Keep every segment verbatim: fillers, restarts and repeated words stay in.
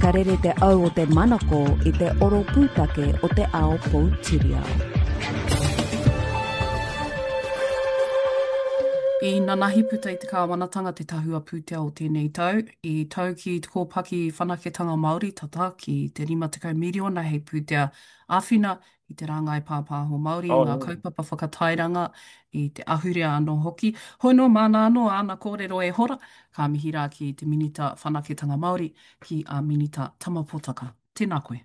Ka rere te au o te manako i te oro pūtake o te ao poutiriao. I nanahi puta i te kāwanatanga te tahua pūtea o tēnei tau, i tau ki te kōpaki whanaketanga Māori tata ki te rima tekau miriona hei pūtea āwhina i te rāngai pāpāho Māori, i ngā kaupapa whakatairanga, i te ahurea anō hoki. Hoi nō māna anō āna kōrero e hora, ka mihi rā ki te Minita Whanaketanga Māori, ki a Minita Tama Potaka. Tēnā koe.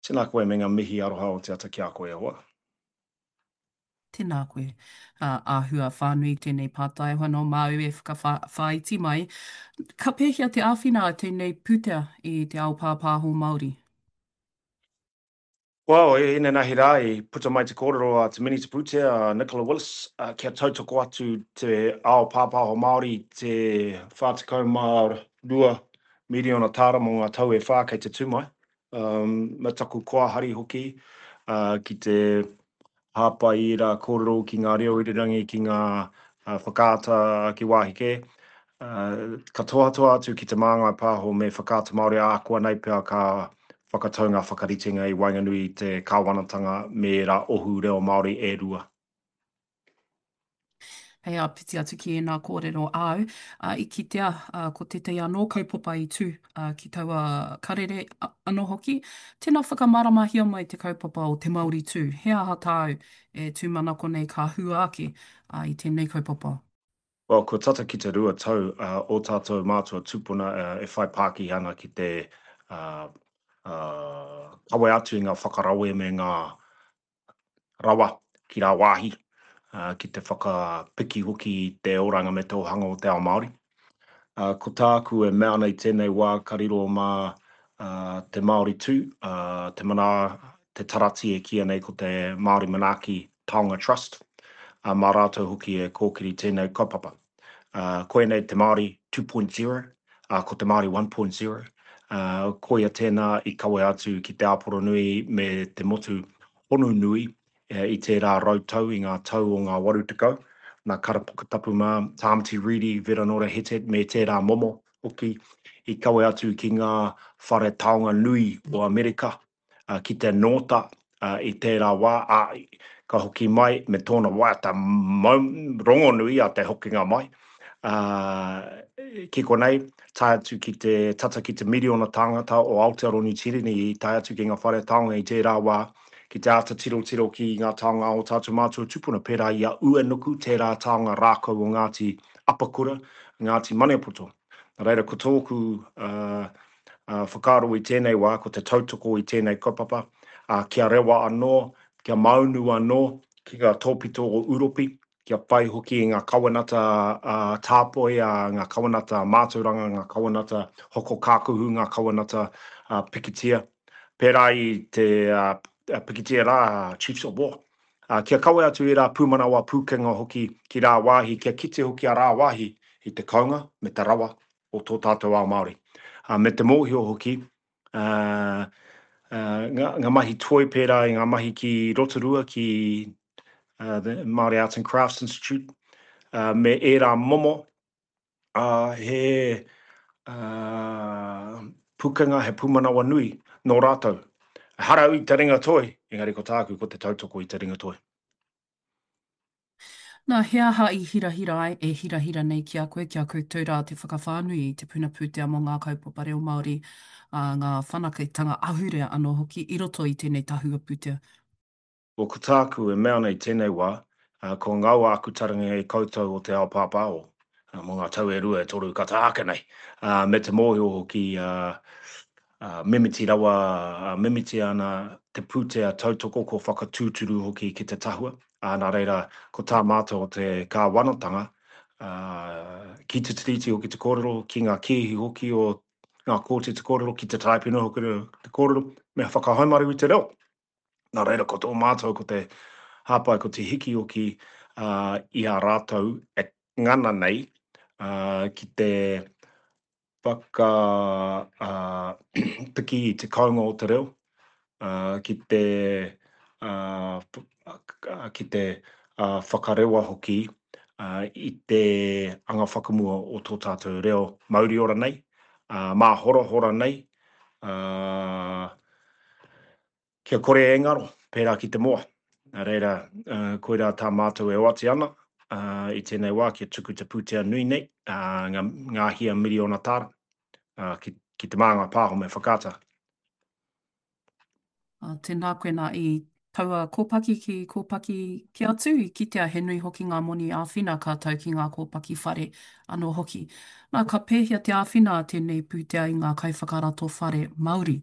Tēnā koe me ngā mihi aroha o te ata ki a koe e hoa. Tēnā koe. Āhua whānui tēnei pātai anō māu e whakawhāiti mai. Ka pēhea te āwhina a tēnei pūtea i te ao pāpāho Māori? Well, inanahi rā i puta mai te kōrero a te Minita Pūtea, a Nicola Willis, kia tautoko atu te ao pāpāho Māori i te whā tekau mā rua miriona tāra mō ngā tau e whā kei te tū mai. Um, me taku koa hari hoki uh, ki te hāpai i ērā kōrero ki ngā reo irirangi, ki ngā uh, whakaata ki wāhi kē. Uh, ka tohatoha atu ki Te Māngai Pāho me Whakaata Māori ākuanei pea ka whakatau ngā whakaritenga i waenganui i te kāwanatanga me ērā ohu reo Māori e rua. Hei āpiti atu ki ēnā kōrero āu, ā, i kitea, ā, ko tētahi anō kaupapa i tū, ā, ki taua karere anō hoki. Tēnā whakamāramahia mai te kaupapa o Te Māori Tū. He aha tāu e tūmanako nei ka hua ake, ā, i tēnei kaupapa? Well, kua tata ki te rua tau ō tātou mātua tūpuna e whai pākihi ana ki te kawe atu i ngā whakarawe me ngā rawa ki rāwāhi, ki te whakapiki hoki i te oranga me te ōhanga o te ao Māori. Ko tāku e mea ana i tēnei wā ka riro mā te Māori Tū, te mana, te tarati e kīia nei ko te Māori Manaaki Taonga Trust, mā rātou hoki e kōkiri tēnei kaupapa. Koinei te Māori two point zero, ko te Māori one point zero, koia tēnā i kawe atu ki Te Āporonui me te motu honu nui i tērā rau tau, i ngā tau o ngā waru tekau, nā Kara Puketapu mā, Tāmati Reedy, Veranora Hetet me tērā momo hoki i kawe atu ki ngā whare taonga nui o Amerika, ki te nōta i tērā wā, ā, ka hoki mai me tōna waiata rongonui a te hokinga mai, ā, ki konei, tae atu ki te tata ki te miriona tāngata o Aotearoa Niu Tīreni i tae atu ki ngā whare taonga i tērā wā, ki te āta tirotiro ki ngā taonga o tātou mātua tupuna, pērā i a Uenuku, tērā taonga rākau o Ngāti Apakura, Ngāti Maniapoto. Nā reira, ko tōku whakaaro i tēnei wā, ko te tautoko i tēnei kaupapa, kia rewa anō, kia maunu anō ki ngā tōpito o Uropi, kia whai hoki i ngā kawenata tāpoi, ngā kawenata mātauranga, ngā kawenata hoko kākuhu, ngā kawenata pikitia, pērā i te pikitia rā, Chiefs of War. Kia kawe atu ērā pūmanawa pūkenga hoki ki rāwāhi, kia kite hoki a rāwāhi i te kounga me te rawa o tō tātou ao Māori. Me te mōhio hoki, ngā mahi toi pērā i ngā mahi ki Rotorua, ki the Māori Arts and Crafts Institute, me ērā momo, he pukenga, he pūmanawa nui nō rātou. Ehara au i te ringa toi, engari ko tāku ko te tautoko i te ringa toi. Nā, he aha i hirahira ai, e hirahira nei ki a koe, ki a koutou rā te whakawhānui i te puna pūtea mō ngā kaupapa reo Māori, ā, ngā whanaketanga ahurea anō hoki i roto i tēnei tahua pūtea? Well, ko tāku e mea ana i tēnei wā, kua ngaua aku taringa e koutou o te ao pāpāho mō ngā tau e rua e toru ka taha ake nei, me te mōhio hoki mimiti rawa, mimiti ana te pūtea tautoko kua whakatūturu hoki ki te tahua, nā reira ko tā mātou o te kāwanatanga, ki te Tiriti hoki te kōrero, ki ngā kēhi hoki o ngā kōti te kōrero, ki te Taraipiunara hoki te kōrero, me whakahaumaru i te reo. Nā reira, ko tō mātou, ko te hāpai, ko te hiki hoki i a rātou e ngana nei ki te whakapiki i te kounga o te reo, ki te, ki te whakarewa hoki i te anga whakamua o tō tātou reo mauriora nei, māhorahora nei, ā, kia kore e ngaro, pērā ki te moa. Nā reira, koirā tā mātou e oati ana i tēnei wā kia tuku te pūtea nui nei, ngā, ngā hia miriona tāra, ki, ki Te Māngai Pāho me Whakaata. Tēnā koe nā i taua kōpaki ki kōpaki kē atu, i kitea he nui hoki ngā moni āwhina ka tau ki ngā kōpaki whare anō hoki. Nā, ka pēhea te āwhina a tēnei pūtea i ngā kaiwhakarato whare Māori?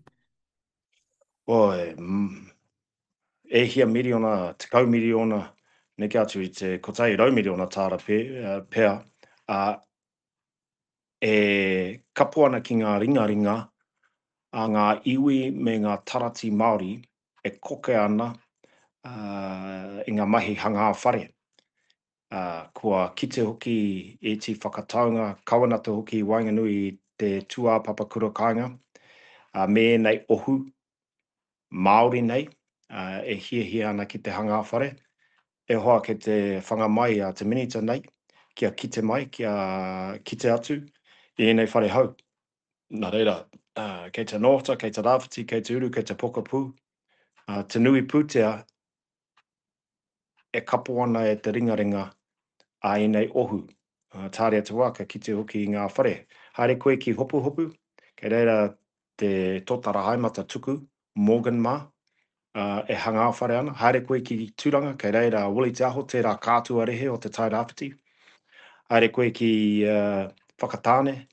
Oi, e hia miriona, tekau miriona, neke atu i te kotahi rau miriona tāra pea, ā, e kapo ana ki ngā ringaringa a ngā iwi me ngā tarati Māori e koke ana i ngā mahi hangā whare. Kua kite hoki ēti whakataunga kawenata hoki i waenganui i te tūāpapa kura kāinga me ēnei ohu Māori nei e hiahia ana ki te hangā whare. E hoa kei te whanga mai a te Minita nei kia kite mai, kia kite atu i ēnei whare hou. Nā reira, kei te Nōta, kei te Rāwhiti, kei te Uru, kei te Pokapū, te nui pūtea e kapo ana e te ringaringa a ēnei ohu. Tāria te wā, ka kite hoki i ngā whare. Haere koe ki Hopuhopu, kei reira te tōtara haemata tuku, Morgan mā, e hangā whare ana. Haere koe ki Tūranga, kei reira a Willie Te Aho, tērā kātua rehe o Te Tai Rāwhiti. Haere koe ki Whakatāne,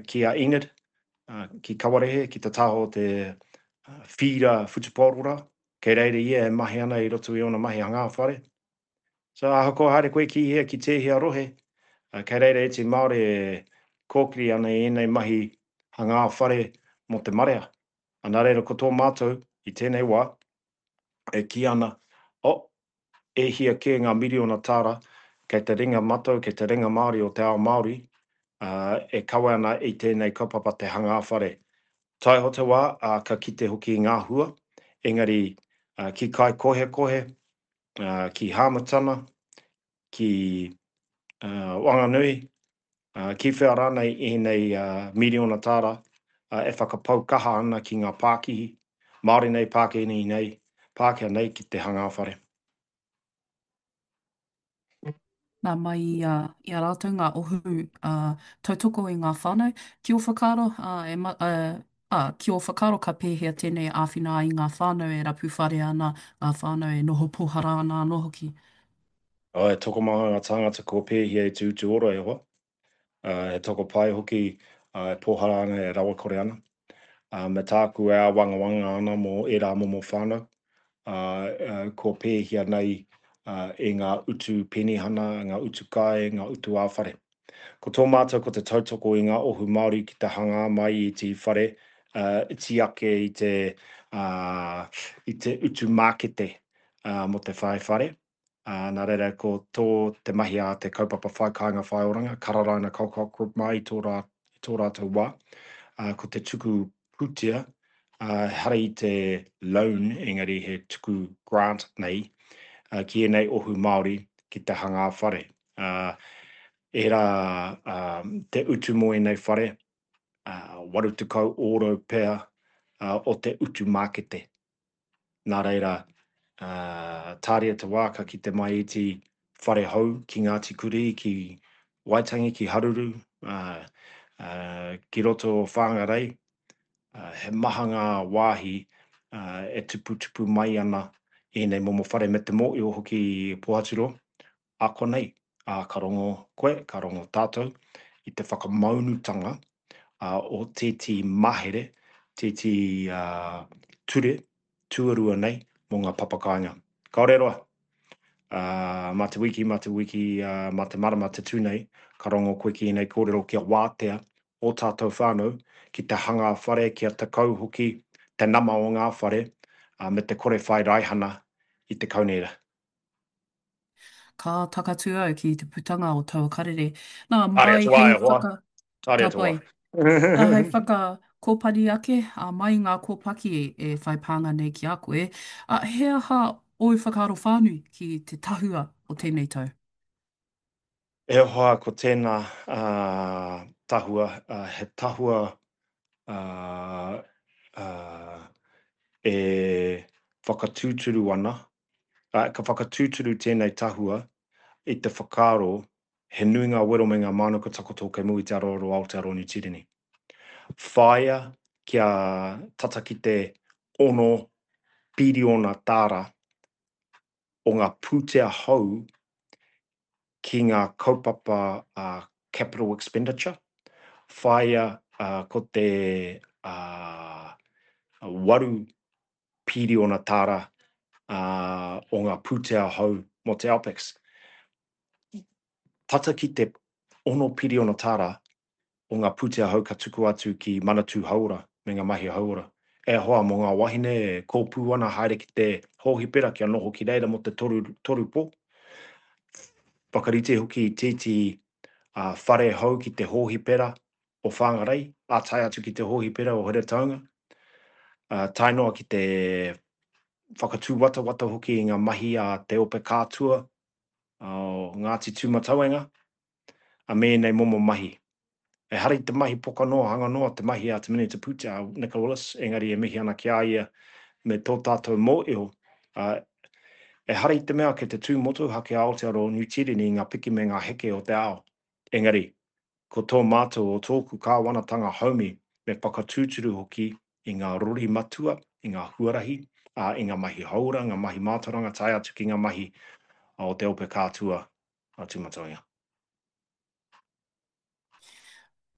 ki a Enid, ki Kawarehe, ki te taha o te whīra whutupaoro rā. Kei reira ia e mahi ana i roto i ōna mahi hangā whare. So ahakoa haere koe ki hea, ki tēhea rohe, kei reira ētehi Māori e kōkiri ana i ēnei mahi hangā whare mō te marea. Nā reira ko tō mātou i tēnei wā e kī ana, oh, e hia kē ngā miriona tāra kei te ringa matau, kei te ringa Māori o te ao Māori e kawe ana i tēnei kaupapa te hangā whare. Taiho te wā, ā, ka kite hoki i ngā hua, engari ki Kaikohekohe, ki Hāmutana, ki Wanganui, ki whea rānei ēnei miriona tāra e whakapau kaha ana ki ngā pākihi, Māori nei, Pākehā nei, Pākehā nei ki te hangā whare. Nā, mai i a, i a rātou ngā ohu tautoko i ngā whānau, ki ō whakaaro, e, ā, ki ō whakaaro ka pēhea tēnei āwhina ai i ngā whānau e rapu whare ana, ngā whānau e noho pōhara ana anō hoki? He tokomaha ngā tāngata kua pēhia e te utu ora e hoa. He tokopae hoki e pōhara ana, e rawakore ana. Me tāku e āwangawanga ana mō ērā momo whānau, kua pēhia nei e ngā utu penihana, ngā utu kai, ngā utu ā-whare. Ko tō mātou ko te tautoko i ngā ohu Māori ki te hangā mai i te whare iti ake i te, i te utu mākete mō te whai whare. Nā reira, ko tō te mahi a te kaupapa Whai Kāinga Whai Oranga, Kararaina Colcock Group mā i tō, rā, i tō rātou wā, ko te tuku pūtea, ehara i te loan, engari he tuku grant nei, ki ēnei ohu Māori ki te hangā whare. Ērā te utu mō ēnei whare, waru tekau ōrau pea o te utu mākete. Nā reira, tāria te wā ka kite mai iti whare hou ki Ngāti Kurī, ki Waitangi, ki Haruru, ki roto o Whangarei. He maha ngā wāhi e tuputupu mai ana ēnei momo whare me te mōhio hoki i Pōhaturoa. A konei, ā, ka rongo koe, ka rongo tātou i te whakamaunutanga o tētehi mahere, tētehi ture tuarua nei mō ngā papakāinga. Kāore roa, ā, mā te wiki, mā te wiki, ā, mā te marama te tū nei, ka rongo koe ki ēnei kōrero kia wātea ō tātou whānau ki te hanga whare kia tekau hoki te nama o ngā whare, ā, me te kore whai raihana i te kaunihera. Ka takatū au ki te putanga o taua karere. Nā, Tāria mai te wā hei e hoa. whaka... Tāria Ka te wā. pai. Nā, hei whakakōpani ake, ā, mai ngā kōpaki e whai pānga nei ki a koe, ā, he aha ōu whakaaro whānui ki te tahua o tēnei tau? E hoa, ko tēnā tahua, he tahua e whakatūturu ana, ka whakatūturu tēnei tahua i te whakaaro he nui ngā wero me ngā mānuka takoto kei mua i te aroaro o Aotearoa Niu Tīreni. Whāia kia tata ki te ono piriona tāra o ngā pūtea hou ki ngā kaupapa capital expenditure, whāia ko te waru piriona tāra o ngā pūtea hou mō te OPEX. Tata ki te ono piriona tāra o ngā pūtea hou ka tukua atu ki Manatū Hauora me ngā mahi hauora. E hoa, mō ngā wahine e kōpū ana haere ki te hōhipera kia noho ki reira mō te toru, toru pō. Whakarite hoki i tētehi whare hou ki te hōhipera o Whangarei, ā, tae atu ki te hōhipera o Heretaunga, ā, tae noa ki te whakatūwatawata hoki i ngā mahi a Te Ope Kātua o Ngāti Tūmatauenga, ā, me ēnei momo mahi. Ehara i te mahi poka noa, hanga noa te mahi a te Minita Pūtea, a Nicola Willis, engari e mihi ana ki a ia me tō tātou mōio, ā, ehara i te mea kei te tū motuhake a Aotearoa Niu Tīreni i ngā piki me ngā heke o te ao, engari, ko tō mātou o tōku kāwanatanga haumi me whakatūturu hoki i ngā rori matua, i ngā huarahi, ā, i ngā mahi hauora, ngā mahi mātauranga tae atu ki ngā mahi o Te Ope Kātua a Tūmatauenga.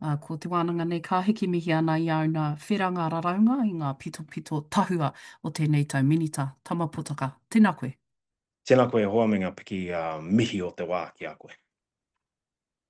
Ā, ko te wānanga nei ka hiki mihi ana i āu nā whera ngā raraunga i ngā pitopito tahua o tēnei tau Minita Tama Potaka. Tēnā koe. Tēnā koe e hoa me ngā piki mihi o te wā ki a koe.